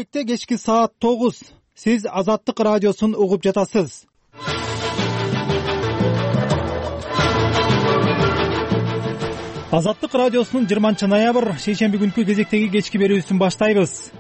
Бишкекте кечки саат 9. Сиз Азаттык радиосун угуп жатасыз. Азаттык радиосунун 20-ноябрь шейшемби күнкү кезектеги кечки берүүсүн баштайбыз.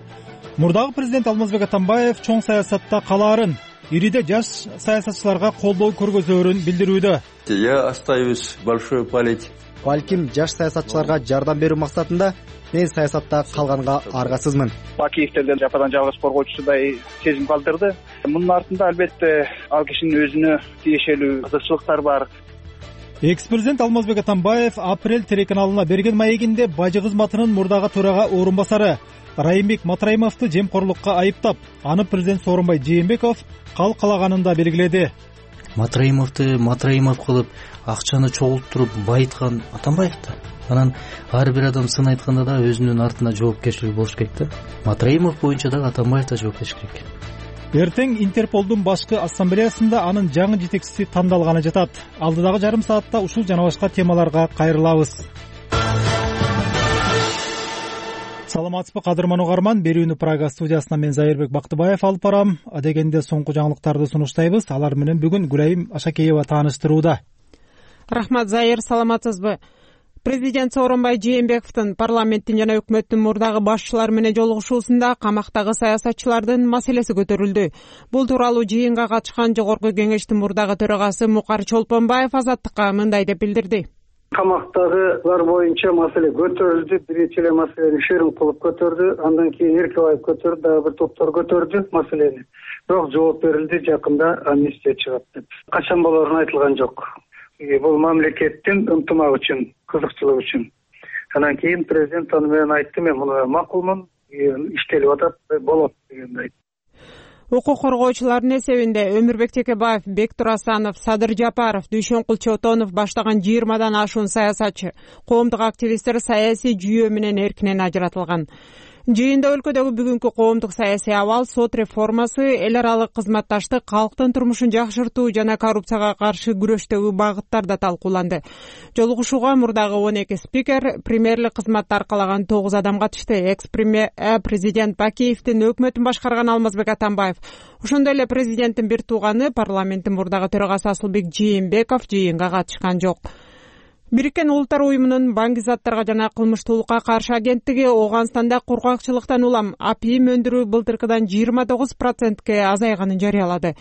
Мурдагы президент Алмазбек Атамбаев чоң саясатта калаарын, ириде жаш саясатчыларга колдоо көргөзөөрүн билдирүүдө. Я остаюсь в большой политике. Балким жаш саясатчыларга жардам берүү максатында мен саясатта калганга аргасызмын. Бакиевтерден жападан жалгыз коргоочусудай сезим калтырды. Мунун артында албетте ал кишинин өзүнө тиешелүү кызыкчылыктар бар. Экс-президент Алмазбек Атамбаев Апрель телеканалына берген маегинде бажы кызматынын мурдагы төрага орун басары Райымбек Матраимовду жемкорлукка айыптап, аны президент Сооронбай Жээнбеков калкалаганын да белгиледи. Матраимовду Матраимов кылып, акчаны чогултуруп байыткан Атамбаев да. Анан ар бир адам сын айтканда да өзүнүн артына жоопкерчилиги болуш керек да. Матраимов боюнча да Атамбаев да жоопкерчилик керек. Эртең Интерполдун башкы ассамблеясында анын жаңы жетекчиси тандалганы жатат. Алдыдагы жарым саатта ушул жана башка темаларга кайрылабыз. Саламатсызбы кадырман угарман, берүүнү Прага студиясынан мен Зайырбек Бактыбаев алып барам. Адегенде соңку жаңылыктарды сунуштайбыз. Алар менен бүгүн Гүлайым Ашакеева тааныштырууда. Рахмат, Зайыр, саламатсызбы? Президент Сооронбай Жээнбековдун парламенттин жана өкмөттүн мурдагы башчылары менен жолугушуусунда камактагы саясатчылардын маселеси көтөрүлдү. Бул тууралуу жыйынга катышкан Жогорку Кеңештин мурдагы төрагасы Мукар Чолпонбаев Азаттыкка мындай деп билдирди. Камактагылар боюнча маселе көтөрүлдү. Биринчи эле маселени Шерим кылып көтөрдү, андан кийин Эркебаев көтөрдү, дагы бир топтор көтөрдү маселени. Бирок жооп берилди, жакында амнистия чыгат деп. Качан болорун айтылган жок. Бул мамлекеттин ынтымак үчүн, кызыкчылык үчүн. Андан кийин президент аны менен айтты, мен муну макулмун, иштелип атат, болот дегенди айтты. Укук коргоочулардын эсебинде Өмүрбек Текебаев, Бектур Асанов, Садыр Жапаров, Дүйшөнкул Чотонов баштаган 20дан ашуун саясатчы, коомдук активисттер саясий жүйө менен эркинен ажыратылган. Жыйында өлкөдөгү бүгүнкү коомдук саясий абал, сот реформасы, эл аралык кызматташтык, калктын турмушун жакшыртуу жана коррупцияга каршы күрөштөгү багыттар да талкууланды. Жолугушууга мурдагы 12 спикер, премьерлик кызматты аркалаган 9 адам катышты. Экс-премьер президент Бакиевдин өкмөтүн башкарган Алмазбек Атамбаев, ошондой эле президенттин бир тууганы, парламенттин мурдагы төрагасы Асылбек Жээнбеков жыйынга катышкан жок. Бириккен Улуттар уюмунун баңгизаттарга жана кылмыштуулукка каршы агенттиги Ооганстанда кургакчылыктан улам апийим өндүрүү былтыркыдан 29%ке азайганын жарыялады.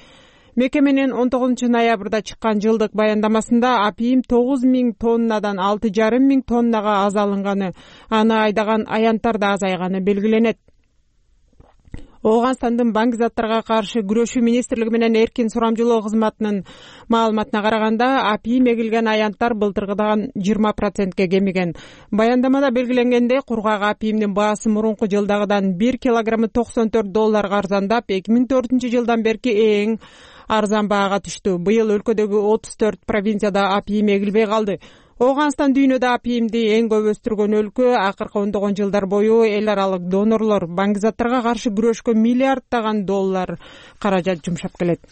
Мекеменин 19-ноябрда чыккан жылдык баяндамасында апийим 9.000 тоннадан 6.500 тоннага азалынганы, аны айдаган аянттар да азайганы белгиленет. Ооганстандын баңгизаттарга каршы күрөшүү министрлиги менен эркин сурамжылоо кызматынын маалыматына караганда, апийим эгилген аянттар былтыркыдан 20%ке кемиген. Баяндамада белгиленгендей, кургак апийимдин баасы мурунку жылдагыдан 1 килограммы $94 арзандап, 2004 жылдан берки эң арзан баага түштү. Быйыл өлкөдөгү 34 провинцияда апийим эгилбей калды. Ооганстан дүйнөдө апийимди эң көп өстүргөн өлкө. Акыркы ондогон жылдар бою эл аралык донорлор баңгизаттарга каршы күрөшкө миллиарддаган доллар каражат жумшап келет.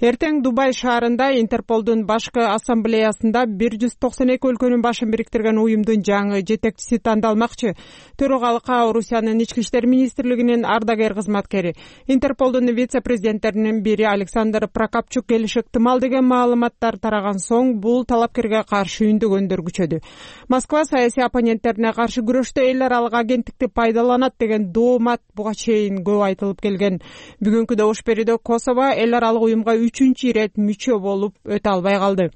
Эртең Дубай шаарында Интерполдун башкы ассамблеясында 192 өлкөнүн башын бириктирген уюмдун жаңы жетекчиси тандалмакчы. Төрагалыкка Орусиянын ички иштер министрлигинин ардагер кызматкери, Интерполдун вице-президенттеринин бири Александр Прокопчук келиши ыктымал деген маалыматтар тараган соң, бул талапкерге каршы үндөгөндөр күчөдү. Москва саясий оппоненттерине каршы күрөштө эл аралык агенттикти пайдаланат деген доомат буга чейин көп айтылып келген. Бүгүнкү добуш берүүдө Косово эл аралык уюмга 3-чү ирет мүчө болуп өтө албай калды.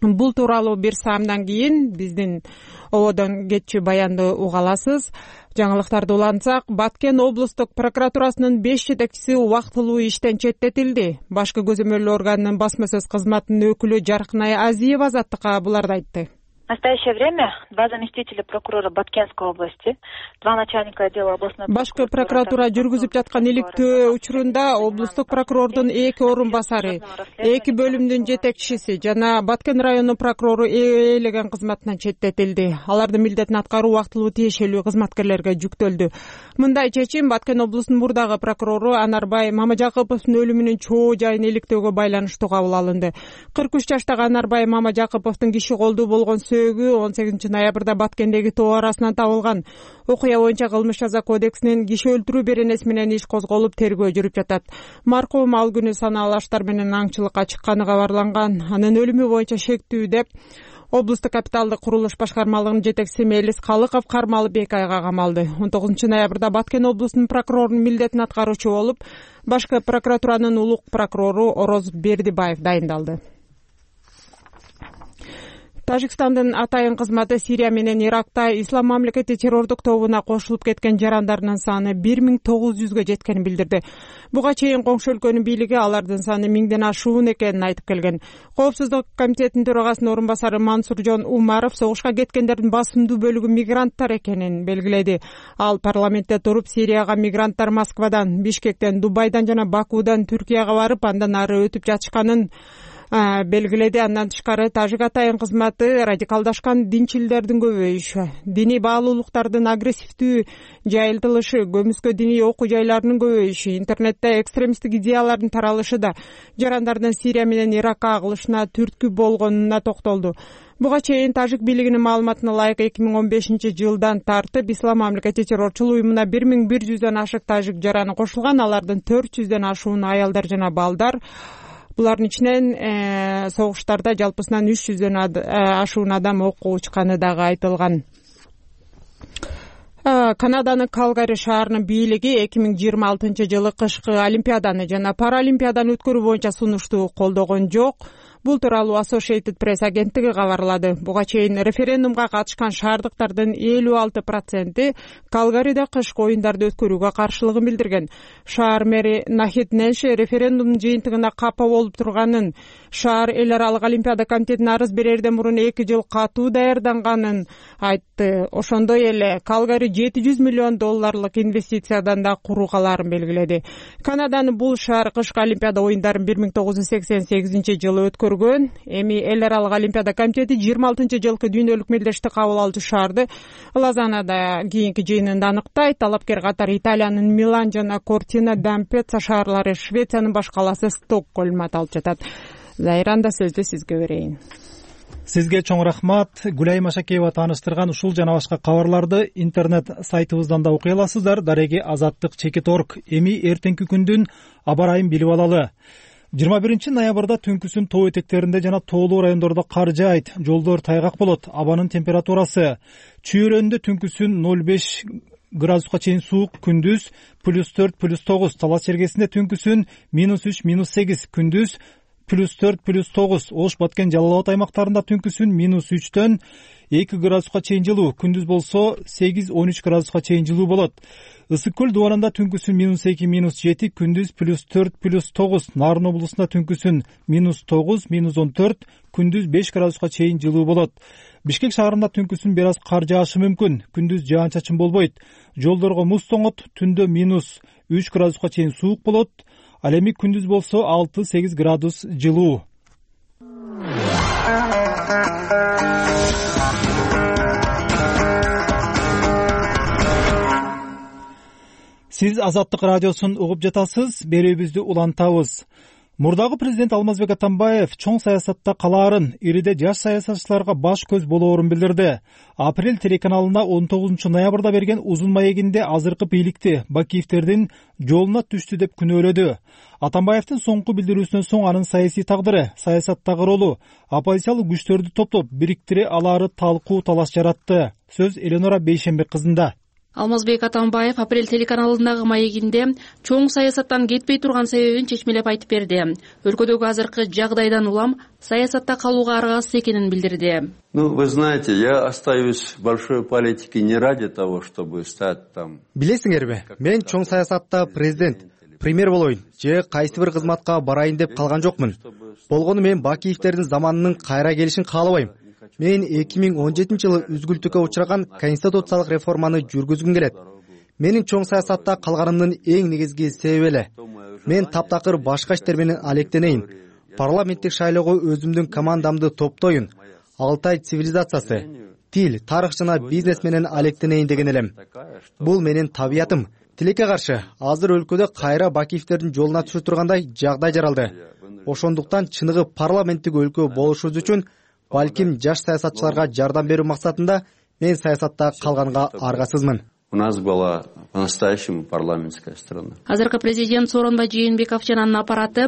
Бул тууралуу бир саамдан кийин биздин ободон кетчү баянды уга аласыз. Жаңылыктарды улантсак, Баткен облустук прокуратурасынын 5 жетекчиси убактылуу иштен четтетилди. Башкы көзөмөлдөө органынын басма сөз кызматынын өкүлү Жаркынай Азиева Азаттыкка буларды айтты. В настоящее время 2 заместителя прокурора Баткенской области, 2 начальника отдела областной башкы прокуратура жүргүзүп жаткан иликтөө учурунда облустук прокурордун 2 орун басары, 2 бөлүмдүн жетекчиси жана Баткен району прокурору ээлеген кызматынан четтетилди. Алардын милдетин аткаруу убактылуу тиешелүү кызматкерлерге жүктөлдү. Мындай чечим Баткен облусунун мурдагы прокурору Анарбай Мамажакыповдун өлүмүнүн чоо жайын иликтөөгө байланыштуу кабыл алынды. 43 жаштагы Анарбай Мамажакыповдун киши колдуу болгон сөөгү 18 ноябрда Баткендеги тоо арасынан табылган. Окуя боюнча кылмыш жаза кодексинин киши өлтүрүү беренеси менен иш козголуп, тергөө жүрүп жатат. Маркум ал күнү санаалуу аштар менен аңчылыкка чыкканы кабарланган. Анын өлүмү боюнча шектүү деп облустук капиталдык курулуш башкармалыгынын жетекчиси Мелис Калыков кармалып 2 айга камалды. 19 ноябрда Баткен облусунун прокурорунун милдетин аткаруучу болуп, башкы прокуратуранын улук прокурору Ороз Бердибаев дайындалды. Тажикстандын атайын кызматы Сирия менен Иракта Ислам мамлекети террордук тобуна кошулуп кеткен жарандарынын саны 1900га жеткенин билдирди. Буга чейин коңшу өлкөнүн бийлиги алардын саны 1000ден ашуун экенин айтып келген. Коопсуздук комитетинин төрагасынын орун басары Мансуржон Умаров согушка кеткендердин басымдуу бөлүгү мигранттар экенин белгиледи. Ал парламентте туруп, Сирияга мигранттар Москвадан, Бишкектен, Дубайдан жана Бакудан Түркияга барып, андан ары өтүп жатышканын белгиледи. Андан тышкары тажик атайын кызматы радикалдашкан динчилдердин көбөйүшү, диний баалуулуктардын агрессивдүү жайылтылышы, көмүскө диний окуу жайларынын көбөйүшү, интернетте экстремисттик идеялардын таралышы да жарандардын Сирия менен Иракка агылышына түрткү болгонуна токтолду. Буга чейин тажик бийлигинин маалыматына ылайык 2015 жылдан тартып Ислам мамлекети террорчулук уюмуна 1100дөн ашык тажик жараны кошулган, алардын 400дөн ашуун аялдар жана балдар. Булардын ичинен согуштарда жалпысынан 300дөн ашуун адам окко учканы дагы айтылган. Канаданын Калгари шаарынын бийлиги 2026 жылы кышкы Олимпиаданы жана Паралимпиаданы өткөрүү боюнча сунушту колдогон жок. Бул тууралуу Associated Press агенттиги кабарлады. Буга чейин референдумга катышкан шаардыктардын 56% Калгариде кышкы оюндарды өткөрүүгө каршылыгын билдирген. Шаар мэри Нахид Ненши референдумдун жыйынтыгына капа болуп турганын, шаар эл аралык Олимпиада комитетине арыз берерден мурун 2 жыл катуу даярданганын айтты. Ошондой эле Калгари $700 миллион инвестициядан да куруугаларын белгиледи. Канаданын бул шаар кышкы Олимпиада оюндарын 1988 жылы өткөргөн. Эми эл аралык Олимпиада комитети 26 жылкы дүйнөлүк мелдештик кабыл алуучу шаарды Лозаннада кийинки жыйынында аныктайт. Талапкер катары Италиянын Милан жана Кортина d'Ampezzo шаарлары, Швециянын баш калаасы Стокгольм аталып жатат. Зайранда сөздү сизге берейин. Сизге чоң рахмат. Гүлай Машакеева тааныштырган ушул жана башка кабарларды интернет сайтыбыздан да окуй аласыздар. Дареги azatlyk.org. Эми эртеңки күндүн аба ырайын билип алалы. 21 ноябрда түнкүсүн тоо этектеринде жана тоолуу райондордо кар жаайт, жолдор тайгак болот. Абанын температурасы чүйөрөндө түнкүсүн 0,5 градуска чейин суук, күндүз +4, +9. Талас чергесинде түнкүсүн -3, -8, күндүз +4, +9. Ош, Баткен, Жалал Абад аймактарында түнкүсүн -3дөн 2 градуска чейин жылуу, күндүз болсо 8-13 градуска чейин жылуу болот. Ысык көл дубанында түнкүсүн -2, -7, күндүз +4, +9. Нарын облусунда түнкүсүн -9, -14, күндүз 5 градуска чейин жылуу болот. Бишкек шаарында түнкүсүн бир аз кар жаашы мүмкүн, күндүз жаан-чачын болбойт. Жолдорго муз тоңот, түндө -3 градуска чейин суук болот. Ал эми күндүз болсо 6-8 градус жылуу. Сиз Азаттык радиосун угуп жатасыз, берүүбүздү улантабыз. Мурдагы президент Алмазбек Атамбаев чоң саясатта калаарын, ириде жаш саясатчыларга баш көз болоорун билдирди. Апрель телеканалына 19 ноябрда берген узун маегинде азыркы бийликти Бакиевтердин жолуна түштү деп күнөөлөдү. Атамбаевдин соңку билдирүүсүнөн соң анын саясий тагдыры, саясаттагы ролу, оппозициялык күчтөрдү топтоп бириктире алаары талкуу талаш жаратты. Сөз Эленора Бейшембек кызында. Алмазбек Атамбаев Апрель телеканалындагы маегинде чоң саясаттан кетпей турган себебин чечмелеп айтып берди. Өлкөдөгү азыркы жагдайдан улам саясатта калууга аргасыз экенин билдирди. Вы знаете, я остаюсь в большой политике не ради того, чтобы стать там. Билесиңерби, мен чоң саясатта президент, премьер болоюн же кайсы бир кызматка барайын деп калган жокмун. Болгону мен Бакиевтердин заманынын кайра келишин каалабайм. Мен 2017 жылы үзгүлтүккө учураган конституциялык реформаны жүргүзгүм келет. Менин чоң саясатта калганымдын эң негизги себеби эле. Мен таптакыр башка иштер менен алектенейин. Парламенттик шайлоого өзүмдүн командамды топтоюн. Алтай цивилизациясы, тил, тарых жана бизнес менен алектенейин деген элем. Бул менин табиятым. Тилекке каршы, азыр өлкөдө кайра Бакиевтердин жолуна түшө тургандай жагдай жаралды. Ошондуктан чыныгы парламенттик өлкө болушубуз үчүн балким жаш саясатчыларга жардам берүү максатында мен саясатта калганга аргасызмын. У нас была по-настоящему парламентская страна. Азыркы президент Сооронбай Жээнбеков жана анын аппараты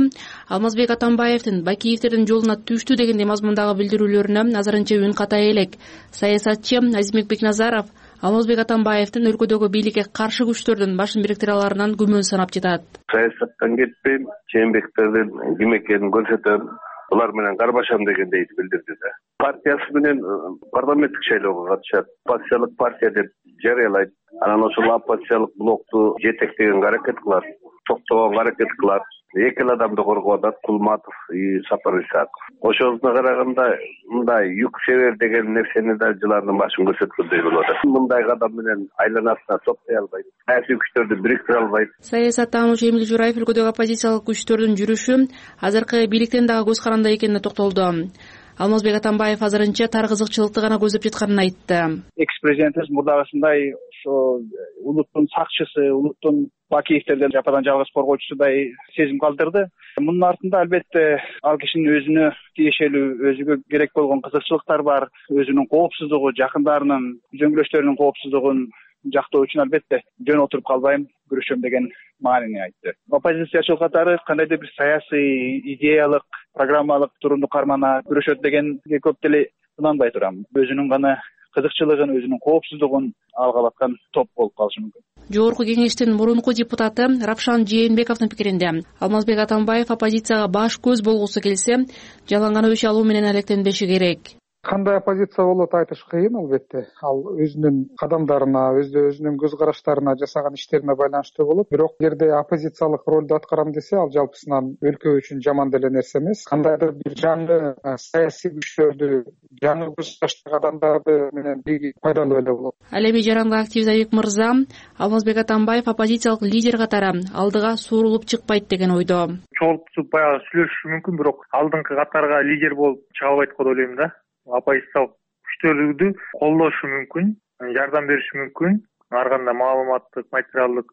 Алмазбек Атамбаевдин Бакиевдердин жолуна түштү дегендей мазмундагы билдирүүлөрүнө азырынча үн катай элек. Саясатчы Азимбек Бекназаров Алмазбек Атамбаевдин өлкөдөгү бийликке каршы күчтөрдүн башын бириктире аларынан күмөн санап жатат. Саясаттан кетпейм, Жээнбектердин ким экенин көрсөтөм. Булар менен карбашам дегендей билдирди да. Партиясы менен парламенттик шайлоого катышат. Оппозициялык партия деп жарыялайт. Анан ошол оппозициялык блокту жетектегенге аракет кылат, токтогонго аракет кылат. Эки эле адамды коргоп атат, Кулматов и Сапар Исаков. Ошосуна караганда мындай юк север деген нерсени да жылардын башын көрсөткөндөй болот. Мындай адам менен айланасына топтой албайт, саясий күчтөрдү бириктире албайт. Саясаттануучу Эмил Жураев өлкөдөгү оппозициялык күчтөрдүн жүрүшү азыркы бийликтен дагы көз каранды экенине токтолду. Алмазбек Атамбаев азырынча тар кызыкчылыкты гана көздөп жатканын айтты. Экс-президентибиз мурдагысындай ошо улуттун сакчысы, улуттун Бакиевтерден жападан жалгыз коргоочусудай сезим калтырды. Мунун артында албетте ал кишинин өзүнө тиешелүү, өзүгө керек болгон кызыкчылыктар бар, өзүнүн коопсуздугу, жакындарынын, зөңгүлөштөрүнүн коопсуздугун жактоо үчүн албетте жөн отуруп калбайм, күрөшөм деген маанини айтты. Оппозициячыл катары кандайдыр бир саясий, идеялык, программалык турумду кармана күрөшөт дегенге көп деле ынанбай турам. Өзүнүн гана кызыкчылыгын, өзүнүн коопсуздугун алгап аткан топ болуп калышы мүмкүн. Жогорку кеңештин мурунку депутаты Равшан Жээнбековдун пикиринде Алмазбек Атамбаев оппозицияга баш көз болгусу келсе, жалаң өч алуу менен алектенбеши керек. Кандай оппозиция болот айтыш кыйын албетте. Ал өзүнүн кадамдарына, өзүнүн көз караштарына, жасаган иштерине байланыштуу болот. Бирок эгерде оппозициялык ролду аткарам десе, ал жалпысынан өлкө үчүн жаман деле нерсе эмес. Кандайдыр бир жаңы саясий күчтөрдү, жаңы көз караштагы адамдарды менен бирге пайдалуу эле болот. Ал эми жаранга актив Забек мырза Алмазбек Атамбаев оппозициялык лидер катары алдыга суурулуп чыкпайт деген ойдо. Чогултуп баягы сүйлөшүшү мүмкүн, бирок алдыңкы катарга лидер болуп чыга албайт го деп ойлойм да. Оппозициялык күчтөрдү колдошу мүмкүн, жардам бериши мүмкүн, ар кандай маалыматтык, материалдык,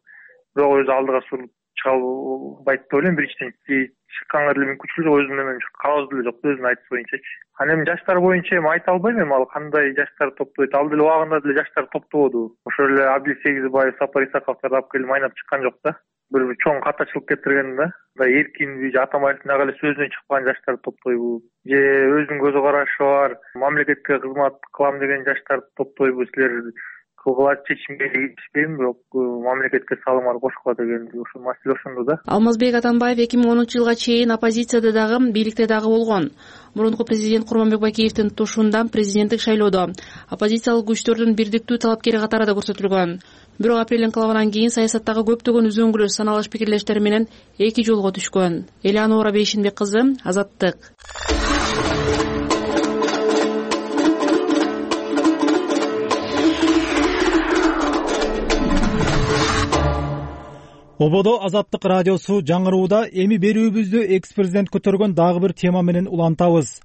бирок өзү алдыга сурулуп чыга албайт деп ойлойм. Биринчиден чыкканга деле мүмкүнчүлүк жок, өзү менен калабыз деле жок, өзүнүн айтышы боюнчачы. Анан эми жаштар боюнча эми айта албайм, эми ал кандай жаштар топтойт. Ал деле убагында деле жаштар топтободу. Ошол эле Абдил Сегизбаев, Сапар Исаковдорду алып келип майнап чыккан жок да. Бир чоң катачылык келтирген да. Эркинби, Атамбаевдин дагы эле сөзүнөн чыкпаган жаштар топтойбу? Же өзүнүн көз карашы бар, мамлекетке кызмат кылам деген жаштар топтойбу? Силер кылгыла чечимге киришпейм, бирок мамлекетке салымар кошкула деген ошол маселе ошондо да. Алмазбек Атамбаев 2010-жылга чейин оппозицияда дагы, бийликте дагы болгон. Мурунку президент Курманбек Бакиевдин тушунда президенттик шайлоодо оппозициялык күчтөрдүн бирдиктүү талапкери катарында көрсөтүлгөн. Бирок апрель инкылабынан кийин саясаттагы көптөгөн үзөңгүлөш, саналыш пикирлештер менен эки жолго түшкөн. Элеонора Бейшинбек кызы, Азаттык. Ободо Азаттык радиосу жаңырууда эми берүүбүздү экс-президент көтөргөн дагы бир тема менен улантабыз.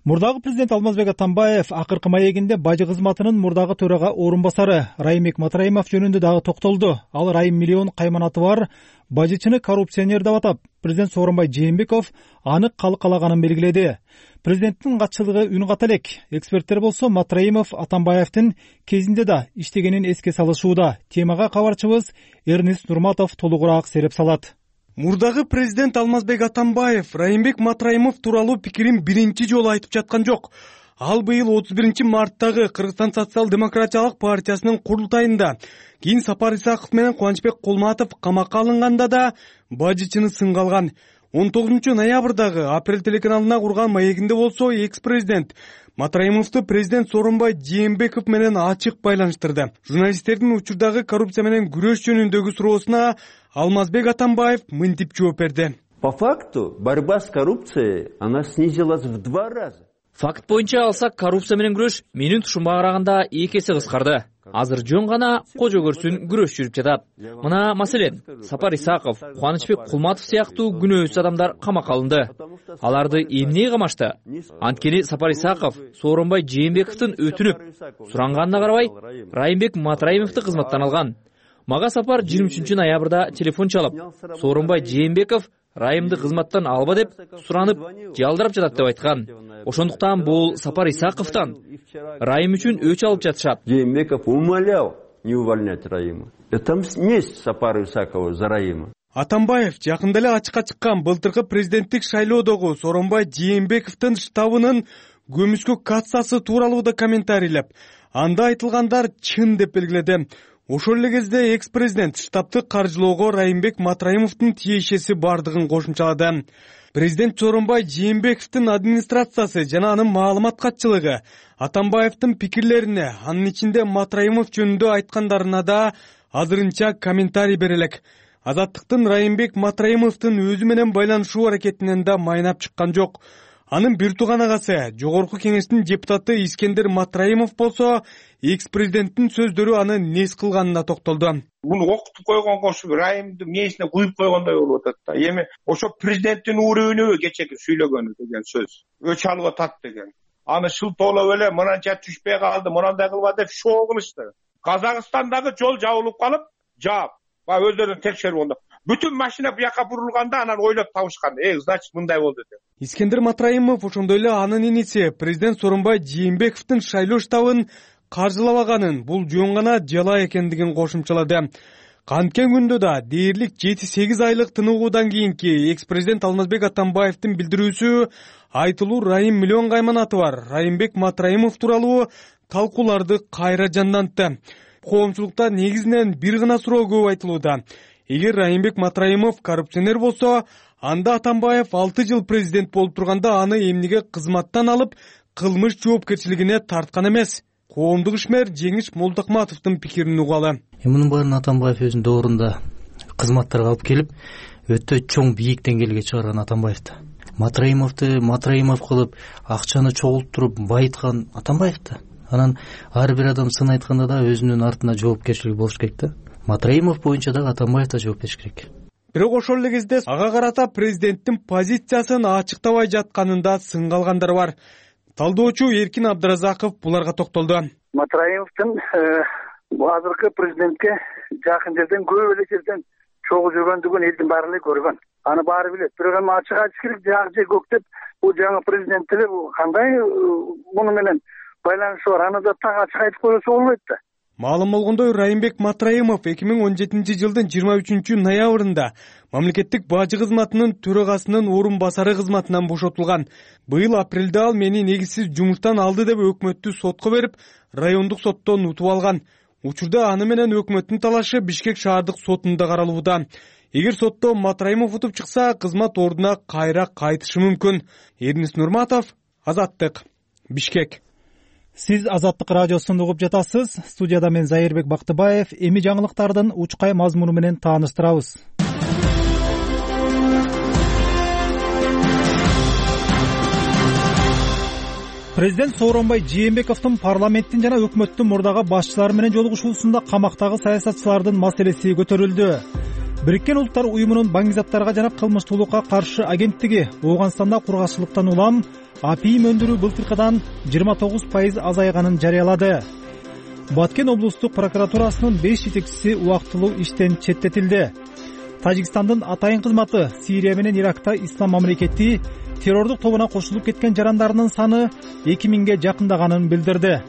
Мурдагы президент Алмазбек Атамбаев акыркы маегинде бажы кызматынын мурдагы төрага орун басары Райымбек Матраимов жөнүндө дагы токтолду. Ал Райым миллион кайманаты бар бажычыны коррупционер деп атап, президент Сооронбай Жээнбеков аны калкалаганын белгиледи. Президенттин катчылыгы үн ката элек. Эксперттер болсо Матраимов Атамбаевдин кезинде да иштегенин эске салышууда. Темага кабарчыбыз Эрнест Нурматов толугураак сереп салат. Мурдагы президент Алмазбек Атамбаев Райымбек Матраимов тууралуу пикирин биринчи жолу айтып жаткан жок. Ал быйыл 31-марттагы Кыргызстан социал-демократиялык партиясынын курултайында, кийин Сапар Исаков менен Кубанычбек Кулматов камакка алынганда да бажычыны сынга алган. 19-ноябрдагы Апрель телеканалына курган маегинде болсо экс-президент Матраимовду президент Сооронбай Жээнбеков менен ачык байланыштырды. Журналисттердин учурдагы коррупция менен күрөш жөнүндөгү суроосуна Алмазбек Атамбаев мынтип жооп берди. По факту борьба с коррупцией, она снизилась в 2 раза. Факт боюнча алсак, коррупция менен күрөш менин тушумга караганда 2 эсе кыскарды. Азыр жөн гана кожо көрсүн күрөш жүрүп жатат. Мына маселен, Сапар Исаков, Кубанычбек Кулматов сыяктуу күнөөсүз адамдар камакка алынды. Аларды эмне камашты? Анткени Сапар Исаков Сооронбай Жээнбековдун өтүнүп суранганына карабай, Райымбек Матраимовду кызматтан алган. Мага Сапар 23-ноябрда телефон чалып, Сооронбай Жээнбеков райымды кызматтан алба деп суранып, жалдырап жатат деп айткан. Ошондуктан бул Сапар Исаковдон Райым үчүн өч алып жатышат. Жээнбеков умолял не увольнять Раима. Это месть Сапару Исакову за Раима. Атамбаев жакында эле ачыкка чыккан былтыркы президенттик шайлоодогу Сооронбай Жээнбековдун штабынын көмүскө кассасы тууралуу да комментарийлеп, анда айтылгандар чын деп белгиледи. Ошол эле кезде экс-президент штабты каржылоого Райымбек Матраимовдун тиешеси бардыгын кошумчалады. Президент Сооронбай Жээнбековдун администрациясы жана анын маалымат катчылыгы Атамбаевдин пикирлерине, анын ичинде Матраимов жөнүндө айткандарына да азырынча комментарий бере элек. Азаттыктын Райымбек Матраимовдун өзү менен байланышуу аракетинен да майнап чыккан жок. Анын бир тууган агасы, Жогорку Кеңештин депутаты Искендер Матраимов болсо, экс-президенттин сөздөрү аны нес кылганына токтолду. Буну окутуп койгонго ушу Райымдын мээсине куюп койгондой болуп атат да. Эми ошо президенттин уурүнүбү кечеги сүйлөгөнү деген сөз. Өч алып атат деген. Аны шылтоолоп эле мынанча түшпөй калды, мынандай кылба деп шоо кылышты. Казакстандагы жол жабылып калып, жаап, өздөрүн текшерип онда. Бүтүн машина буяка бурулганда анан ойлоп табышкан. Значит, мындай болду деп. Искендер Матраимов ошондой эле анын иниси президент Сооронбай Жээнбековдун шайлоо штабын каржылабаганын, бул жөн гана жала экендигин кошумчалады. Канткен күндө да дээрлик 7-8 айлык тыныгуудан кийинки экс-президент Алмазбек Атамбаевдин билдирүүсү айтылуу Райым миллион кайманаты бар Райымбек Матраимов тууралуу талкууларды кайра жандантты. Коомчулукта негизинен бир гана суроо көп айтылууда. Эгер Райымбек Матраимов коррупционер болсо, анда Атамбаев 6 жыл президент болуп турганда аны эмнеге кызматтан алып, кылмыш жоопкерчилигине тарткан эмес? Коомдук ишмер Жеңиш Молдокматовдун пикирин угалы. Мунун баарын Атамбаев өзүнүн доорунда кызматтарга алып келип, өтө чоң бийик деңгээлге чыгарган Атамбаевди. Матраимов кылып, акчаны чогултуруп байыткан Атамбаевди. Анан ар бир адам сын айтканда да өзүнүн артына жоопкерчилиги болуш керек да. Матраимов боюнча да Атамбаев да жооп бериш керек. Бирок ошол эле кезде ага карата президенттин позициясын ачыктабай жатканында сынга алгандар бар. Талдоочу Эркин Абдыразаков буларга токтолду. Матраимовдун азыркы президентке жакын жерден көп эле жерден чогуу жүргөндүгүн элдин баары эле көргөн. Аны баары билет. Бирок эми ачык айтыш керек, жак же көк деп бул жаңы президент эле кандай муну менен байланышы бар. Аны да так ачык айтып койсо болбойт да. Маалым болгондой, Райымбек Матраимов 2017 жылдын 23 ноябрында мамлекеттик бажы кызматынын төрагасынын орун басары кызматынан бошотулган. Быйыл апрелде ал мени негизсиз жумуштан алды деп өкмөттү сотко берип, райондук соттон утуп алган. Учурда аны менен өкмөттүн талашы Бишкек шаардык сотунда каралууда. Эгер сотто Матраимов утуп чыкса, кызмат ордуна кайра кайтышы мүмкүн. Эрнис Нурматов, Азаттык, Бишкек. Сиз Азаттык радиосун угуп жатасыз. Студияда мен Зайырбек Бактыбаев. Эми жаңылыктардын учкай мазмуну менен тааныштырабыз. Президент Сооронбай Жээнбековдун парламенттин жана өкмөттүн мурдагы башчылары менен жолугушуусунда камактагы саясатчылардын маселеси көтөрүлдү. Бириккен Улуттар уюмунун баңгизаттарга жана кылмыштуулукка каршы агенттиги Ооганстанда кургакчылыктан улам апийим өндүрүү былтыркыдан 29% азайганын жарыялады. Баткен облустук прокуратурасынын 5 жетекчиси убактылуу иштен четтетилди. Тажикстандын атайын кызматы Сирия менен Иракта ислам мамлекети террордук тобуна кошулуп кеткен жарандарынын саны 2000ге жакындаганын билдирди.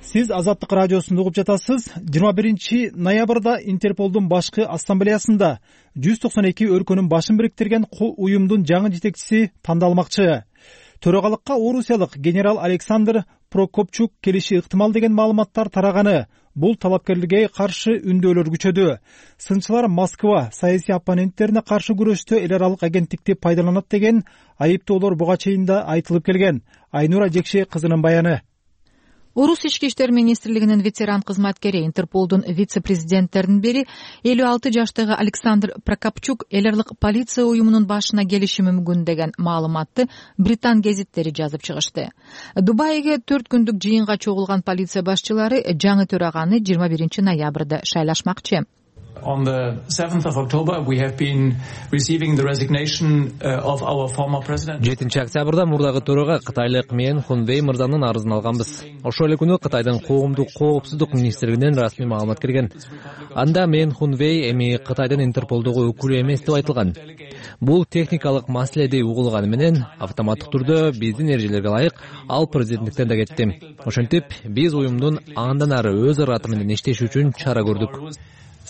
Сиз Азаттык радиосун угуп жатасыз. 21 ноябрда Интерполдун башкы ассамблеясында 192 өлкөнүн башын бириктирген уюмдун жаңы жетекчиси тандалмакчы. Төрагалыкка орусиялык генерал Александр Прокопчук келиши ыктымал деген маалыматтар тараганы. Бул талапкерлерге каршы үндөөлөр күчөдү. Сынчылар Москва саясий оппоненттерине каршы күрөштө эл аралык агенттикти пайдаланат деген айыптоолор буга чейин да айтылып келген. Айнура Жекше кызынын баяны. Орус ички иштер министрлигинин ветеран кызматкери, Интерполдун вице-президенттеринин бири 56 жаштагы Александр Прокопчук эл аралык полиция уюмунун башына келиши мүмкүн деген маалыматты Британ гезиттери жазып чыгышты. Дубайга 4 күндүк жыйынга чогулган полиция башчылары жаңы төраганы 21 ноябрда шайлашмакчы. on the 7th of October we have been receiving the resignation of our former president. 7-октябрда мурдагы төрага кытайлык Мен Хунвей мырзанын арызын алганбыз. Ошол эле күнү Кытайдын коомдук коопсуздук министрлигинен расмий маалымат келген. Анда Мен Хунвей эми Кытайдын Интерполдогу өкүлү эмес деп айтылган. Бул техникалык маселе деп угулганы менен автоматтык түрдө биздин эрежелерге ылайык ал президенттиктен да кетти. Ошентип биз уюмдун андан ары өз ыраты менен иштеши үчүн чара көрдүк.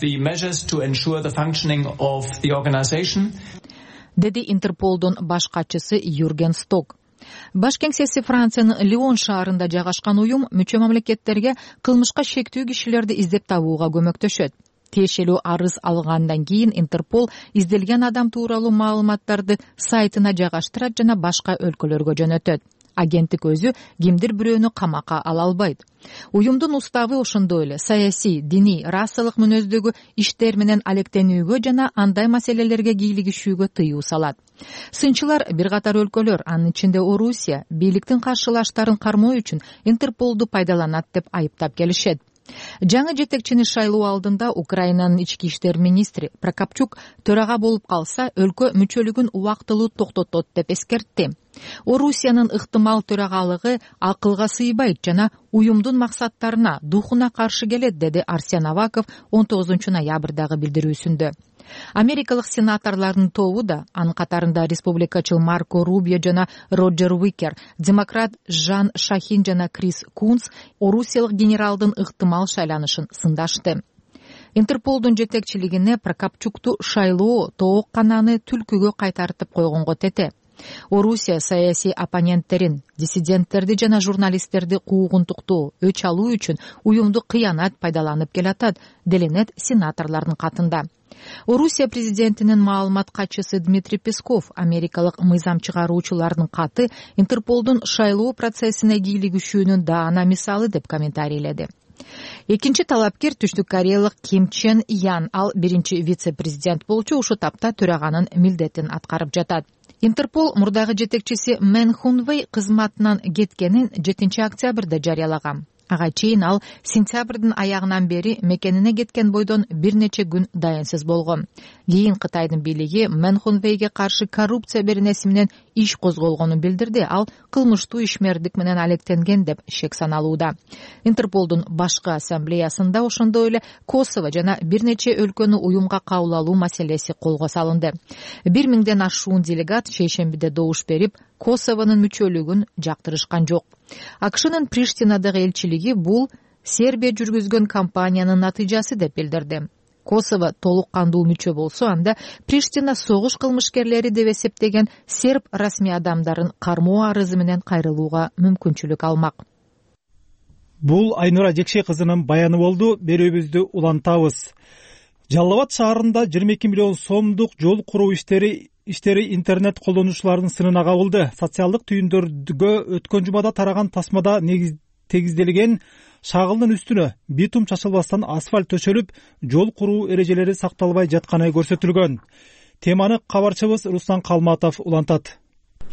The measures to ensure the functioning of the organization. Деди Интерполдун баш катчысы Юрген Сток. Баш кеңсеси Франциянын Лион шаарында жайгашкан уюм мүчө мамлекеттерге кылмышка шектүү кишилерди издеп табууга көмөктөшөт. Тиешелүү арыз алгандан кийин Интерпол изделген адам тууралуу маалыматтарды сайтына жайгаштырат жана башка өлкөлөргө жөнөтөт. Агенттик өзү кимдир бирөөнү камакка ала албайт. Уюмдун уставы ошондой эле саясий, диний, расалык мүнөздөгү иштер менен алектенүүгө жана андай маселелерге кийлигишүүгө тыюу салат. Сынчылар бир катар өлкөлөр, анын ичинде Орусия, бийликтин каршылаштарын кармоо үчүн Интерполду пайдаланат деп айыптап келишет. Жаңы жетекчини шайлоо алдында Украинанын ички иштер министри Прокопчук төрага болуп калса, өлкө мүчөлүгүн убактылуу токтотот деп эскертти. Орусиянын ыктымал төрагалыгы акылга сыйбайт жана уюмдун максаттарына, духуна каршы келет, деди Арсен Аваков 19 ноябрдагы билдирүүсүндө. Америкалык сенаторлордун тобу да, анын катарында республикачыл Марко Рубио жана Роджер Уикер, демократ Жан Шахин жана Крис Кунс орусиялык генералдын ыктымал шайланышын сындашты. Интерполдун жетекчилигине Прокопчукту шайлоо тоок кананы түлкүгө кайтартып койгонго тете. Орусия саясий оппоненттерин, диссиденттерди жана журналисттерди куугунтуктоо, өч алуу үчүн уюмду кыянат пайдаланып келатат, деленет сенаторлордун катында. Орусия президентинин маалымат катчысы Дмитрий Песков америкалык мыйзам чыгаруучулардын каты Интерполдун шайлоо процессине кийлигишүүнүн даана мисалы деп комментарийледи. Экинчи талапкер Түштүк Кореялык Ким Чен Ян, ал биринчи вице-президент болчу, ушу тапта төраганын милдетин аткарып жатат. Интерпол мурдагы жетекчиси Мен Хунвей кызматынан кеткенин 7 октябрда жарыялаган. Ага чейин ал сентябрдын аягынан бери мекенине кеткен бойдон бир нече күн дайынсыз болгон. Кийин Кытайдын бийлиги Мен Хунвейге каршы коррупция беренеси менен иш козголгонун билдирди. Ал кылмыштуу ишмердик менен алектенген деп шек саналууда. Интерполдун башкы ассамблеясында ошондой эле Косово жана бир нече өлкөнү уюмга кабыл алуу маселеси колго салынды. 1000ден ашуун делегат шейшембиде добуш берип, Косовонун мүчөлүгүн жактырышкан жок. АКШнын Приштинадагы элчилиги бул Сербия жүргүзгөн кампаниянын натыйжасы деп билдирди. Косово толук кандуу мүчө болсо, анда Приштина согуш кылмышкерлери деп эсептеген серб расмий адамдарын кармоо арызы менен кайрылууга мүмкүнчүлүк алмак. Бул Айнура Жекшей кызынын баяны болду. Берүүбүздү улантабыз. Жалал Абад шаарында 22 миллион сомдук жол куруу иштери интернет колдонуучулардын сынына кабылды. Социалдык түйүндөргө өткөн жумада тараган тасмада тегизделген шагылдын үстүнө битум чачылбастан асфальт төшөлүп, жол куруу эрежелери сакталбай жатканы көрсөтүлгөн. Теманы кабарчыбыз Руслан Калматов улантат.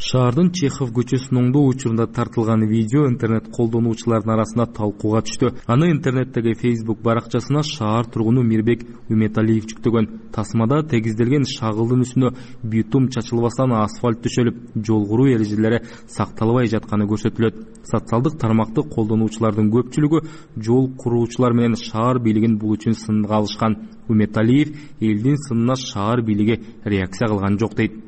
Шаардын Чехов көчөсүнүн оңдоо учурунда тартылган видео интернет колдонуучулардын арасында талкууга түштү. Аны интернеттеги Facebook баракчасына шаар тургуну Мирбек Үметалиев жүктөгөн. Тасмада тегизделген шагылдын үстүнө битум чачылбастан асфальт төшөлүп, жол куруу эрежелери сакталбай жатканы көрсөтүлөт. Социалдык тармакты колдонуучулардын көпчүлүгү жол куруучулар менен шаар бийлигин бул үчүн сынга алышкан. Үметалиев элдин сынына шаар бийлиги реакция кылган жок дейт.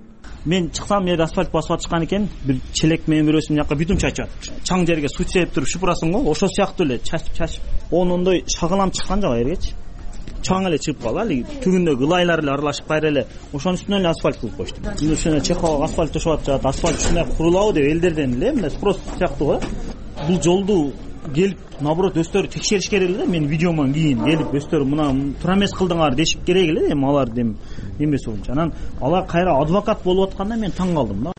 Мен чыксам, жерде асфальт басып атышкан экен, бир челек менен бирөөсү мына жака битум чачып атат. Чаң жерге суу себеп туруп шыпырасың го, ошол сыяктуу эле чачып. Ондой шагылам чыккан жок ергечи. Чаң эле чыгып калалы, түгүндөгү ылайлар эле аралашып кайра эле ошонун үстүнөн эле асфальт кылып коюшту. Мына ушуна Чеховго асфальт төшөп атышат, асфальт ушундай курулабы деп элдерден эле мына спрос сыяктуу го. Бул жолду келип, наоборот, өздөрү текшериш керек эле. Мен видеомон кийин келип өздөрү мына туура эмес кылдыңар дешип керек эле. Эми алар эмеси боюнча. Анан алар кайра адвокат болуп атканда мен таң калдым да.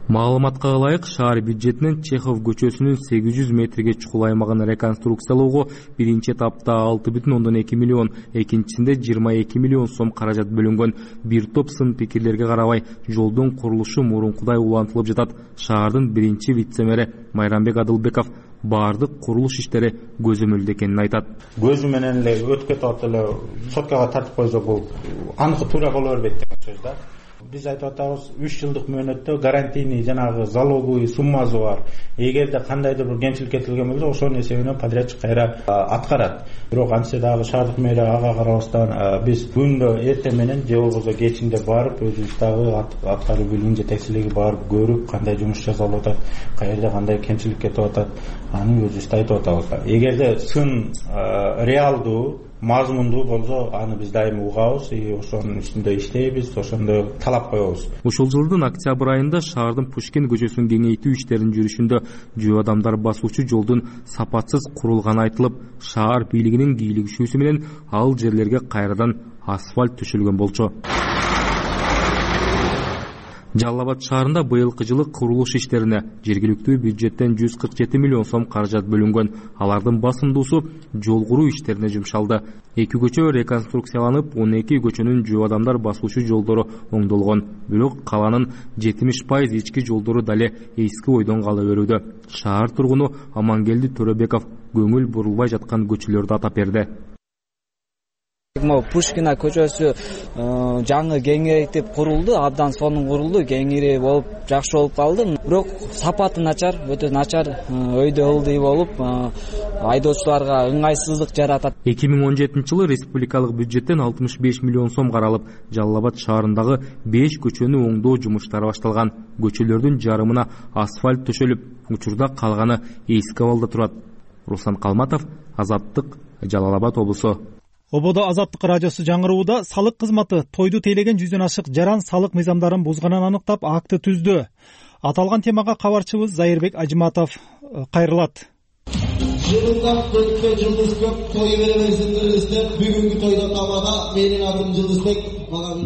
Маалыматка ылайык, шаар бюджетинен Чехов көчөсүнүн 800 метрге чукул аймагын реконструкциялоого биринчи этапта 6,2 миллион, экинчисинде 22 миллион сом каражат бөлүнгөн. Бир топ сын пикирлерге карабай, жолдун курулушу мурункудай улантылып жатат. Шаардын биринчи вице-мэри Майрамбек Адылбеков баардык курулуш иштери көзөмөлдө экенин айтат. Көзү менен эле өтүп кетип атат эле соткага тартып койсок бул аныкы туура боло бербейт деген сөз да. Биз айтып атабыз 3 жылдык мөөнөттө гарантийный жанагы залоговый суммасы бар. Эгерде кандайдыр бир кемчилик кетилген болсо ошонун эсебинен подрядчик кайра аткарат. Бирок антсе дагы шаардык мэрия ага карабастан биз күндө эртең менен же болбосо кечинде барып өзүбүз дагы аткаруу бөлүмүнүн жетекчилиги барып көрүп кандай жумуш жасалып атат, каерде кандай кемчилик кетип атат, аны өзүбүз айтып атабыз. Эгерде сын реалдуу мазмундуу болсо аны биз дайыма угабыз и ошонун үстүндө иштейбиз, ошондой талап коебуз. Ушул жылдын октябрь айында шаардын Пушкин көчөсүн кеңейтүү иштеринин жүрүшүндө жөө адамдар басуучу жолдун сапатсыз курулганы айтылып, шаар бийлигинин кийлигишүүсү менен ал жерлерге кайрадан асфальт төшөлгөн болчу. Жалал Абад шаарында быйылкы жылы курулуш иштерине жергиликтүү бюджеттен 147 миллион сом каражат бөлүнгөн. Алардын басымдуусу жол куруу иштерине жумшалды. 2 көчө реконструкцияланып, 12 көчөнүн жөө адамдар басуучу жолдору оңдолгон. Бирок каланын 70% ички жолдору дале эски ойдон кала берүүдө. Шаар тургуну Амангелди Төрөбеков көңүл бурулбай жаткан көчөлөрдү атап берди. Пушкина көчөсү жаңы кеңейтип курулду, абдан сонун курулду, кеңири болуп, жакшы болуп калды. Бирок сапаты начар, өтө начар, өйдө ылдый болуп, айдоочуларга ыңгайсыздык жаратат. 2017 жылы республикалык бюджеттен 65 миллион сом каралып, Жалал Абад шаарындагы 5 көчөнү оңдоо жумуштары башталган. Көчөлөрдүн жарымына асфальт төшөлүп, учурда калганы эски абалда турат. Руслан Калматов, Азаттык, Жалал Абад облусу. Ободо Азаттык радиосу жаңырууда салык кызматы тойду тейлеген 100дөн ашык жаран салык мыйзамдарын бузганын аныктап акты түздү. Аталган темага кабарчыбыз Зайырбек Ажиматов кайрылат. Жылдап көккө Жылдызбек той беребейсиңдер деп бүгүнкү тойдо тамада менин атым Жылдызбек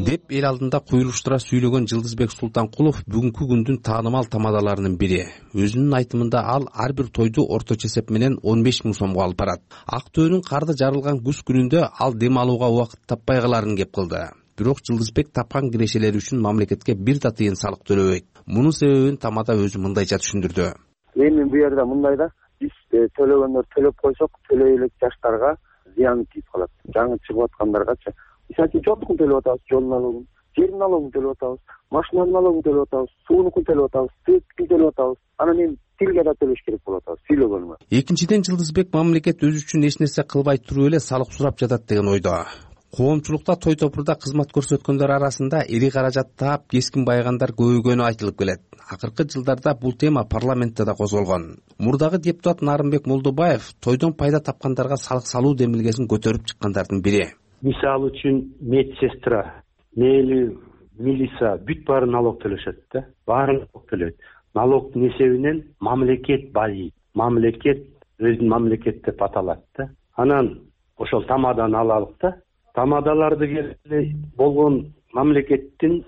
деп эл алдында куйруштура сүйлөгөн Жылдызбек Султанкулов бүгүнкү күндүн таанымал тамадаларынын бири. Өзүнүн айтымында ал ар бир тойду орточо эсеп менен 15 миң сомго алып барат. Актөөнүн карды жарылган күз күнүндө ал дем алууга убакыт таппай каларын кеп кылды. Бирок Жылдызбек тапкан кирешелери үчүн мамлекетке бир да тыйын салык төлөбөйт. Мунун себебин тамада өзү мындайча түшүндүрдү. Эми бу жерде мындай да, биз төлөгөндөр төлөп койсок, төлөй элек жаштарга зыяны тийип калат. Жаңы чыгып аткандаргачы мисалы жолдукун төлөп атабыз, жол налогун, жер налогун төлөп атабыз, машина налогун төлөп атабыз, суунукун төлөп атабыз, светкин төлөп атабыз. Анан эми тилге да төлөш керек болуп атабыз, сүйлөгөнүмө. Экинчиден Жылдызбек мамлекет өзү үчүн эч нерсе кылбай туруп эле салык сурап жатат деген ойдо. Коомчулукта той топурда кызмат көрсөткөндөр арасында эли каражат таап кескин байыгандар көбөйгөнү айтылып келет. Акыркы жылдарда бул тема парламентте да козголгон. Мурдагы депутат Нарымбек Молдобаев тойдон пайда тапкандарга салык салуу демилгесин көтөрүп чыккандардын бири. Мисалы үчүн медсестра, мейли милиция бүт баары налог төлөшөт да. Баары налог төлөйт. Налогдун эсебинен мамлекет байыйт. Мамлекет өзүнүн мамлекет деп аталат да. Анан ошол тамаданы алалык да. Тамадаларды келе болгон мамлекеттин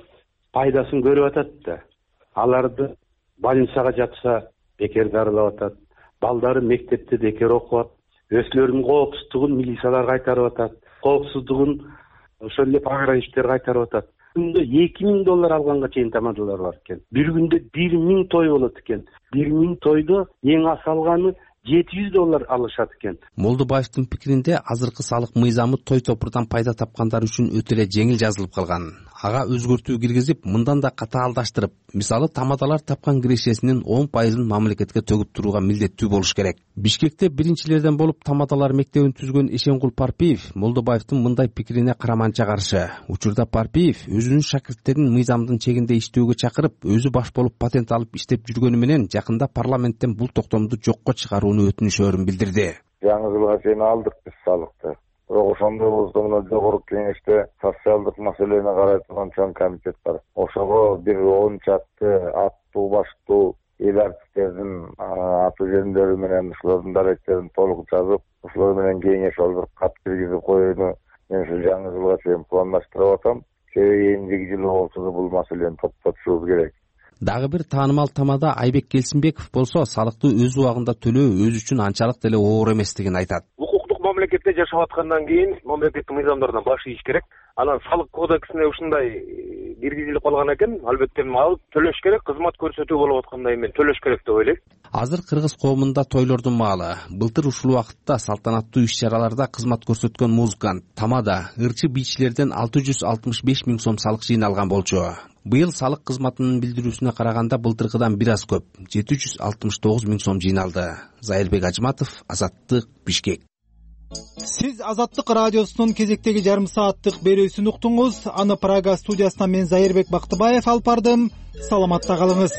пайдасын көрүп атат да. Аларды больницага жатса бекер дарылап атат. Балдары мектепте бекер окуп атат. Өзлөрүнүн коопсуздугун милициялар кайтарып атат. Коопсуздугун ошол эле пограничтер кайтарып атат. Күндө $2000 алганга чейин тамадалар бар экен. Бир күндө 1000 той болот экен. 1000 тойдо эң аз алганы $700 алышат экен. Молдобаевдин пикиринде азыркы салык мыйзамы той топурдан пайда тапкандар үчүн өтө эле жеңил жазылып калган. Ага өзгөртүү киргизип, мындан да катаалдаштырып, мисалы тамадалар тапкан кирешесинин 10% мамлекетке төгүп турууга милдеттүү болуш керек. Бишкекте биринчилерден болуп тамадалар мектебин түзгөн Эшенгул Парпиев Молдобаевдин мындай пикирине караманча каршы. Учурда Парпиев өзүнүн шакирттерин мыйзамдын чегинде иштөөгө чакырып, өзү баш болуп патент алып иштеп жүргөнү менен жакында парламенттен бул токтомду жокко чыгарууну өтүнүшөрүн билдирди. Жаңы жылга чейин алдык биз салыкты. Бирок ошондой болсо мына жогорку кеңеште социалдык маселени карай турган чоң комитет бар. Ошого бир 10 чакты аттуу баштуу эл артисттердин аты жөндөрү менен ушулардын даректерин толук жазып, ушулар менен кеңеш алып кат киргизип коюуну мен ушу жаңы жылга чейин пландаштырып атам. Себеби эмдиги жылы болсо да бул маселени токтотушубуз керек. Дагы бир таанымал тамада Айбек Келсинбеков болсо салыкты өз убагында төлөө өзү үчүн анчалык деле оор эместигин айтат. мамлекетте жашап аткандан кийин мамлекеттик мыйзамдардан баш ийиш керек. Анан салык кодексине ушундай киргизилип калган экен. Албетте алып төлөш керек, кызмат көрсөтүү болуп аткандай мен төлөш керек деп ойлойм. Азыр кыргыз коомунда тойлордун маалы. Былтыр ушул убакытта салтанаттуу иш-чараларда кызмат көрсөткөн музыкант Тамада ырчы бийчилерден 665 миң сом салык жыйналган болчу. Быйыл салык кызматынын билдирүүсүнө караганда былтыркыдан бир аз көп 769 миң сом жыйналды. Зайырбек Ажматов, Азаттык, Бишкек. Сиз Азаттык радиосунун кезектеги жарым сааттык берүүсүн уктуңуз. Аны Прага студиясынан мен Зайырбек Бактыбаев алып бардым. Саламатта калыңыз.